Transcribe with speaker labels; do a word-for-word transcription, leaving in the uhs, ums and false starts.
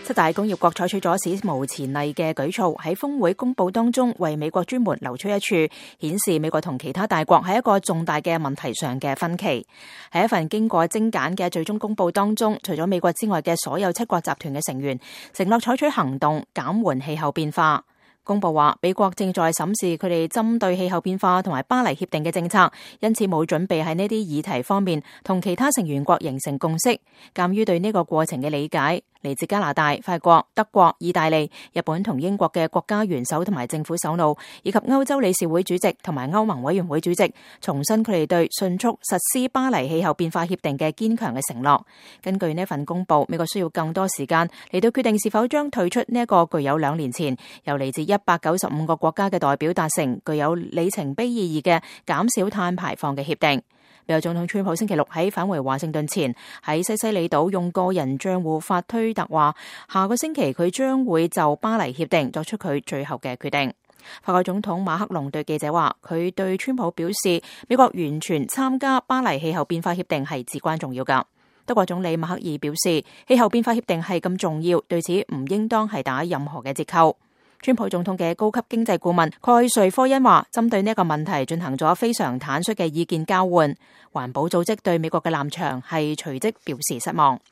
Speaker 1: 七大工業國採取咗史無前例嘅舉措，喺峰會公佈當中為美國專門留出一處，顯示美國同其他大國喺一個重大嘅問題上嘅分歧。喺一份經過精簡嘅最終公佈當中，除咗美國之外嘅所有七國集團嘅成員承諾採取行動減緩氣候變化。公佈話，美國正在審視佢哋針對氣候變化同埋巴黎協定嘅政策，因此冇準備喺呢啲議題方面同其他成員國形成共識。鑑於對呢個過程嘅理解，嚟自加拿大、法國、德國、意大利、日本同英國嘅國家元首同埋政府首腦，以及歐洲理事會主席同埋歐盟委員會主席，重申佢哋對迅速實施巴黎氣候變化協定嘅堅強嘅承諾。根據呢份公佈，美國需要更多時間嚟到決定是否將退出呢一個具有兩年前由嚟自一百九十五個國家嘅代表達成、具有里程碑意義嘅減少碳排放嘅協定。美國總統川普星期六喺返回華盛頓前，喺西西里島用個人賬戶發推特話，下個星期佢將會就巴黎協定作出佢最後嘅決定。法國總統馬克龍對記者話，佢對川普表示，美國完全參加巴黎氣候變化協定係至關重要㗎。德國總理默克爾表示，氣候變化協定係咁重要，對此唔應當係打任何嘅折扣。川普總統嘅高級經濟顧問蓋瑞科恩話，針對呢一個問題進行咗非常坦率嘅意見交換。環保組織對美國嘅立場係隨即表示失望。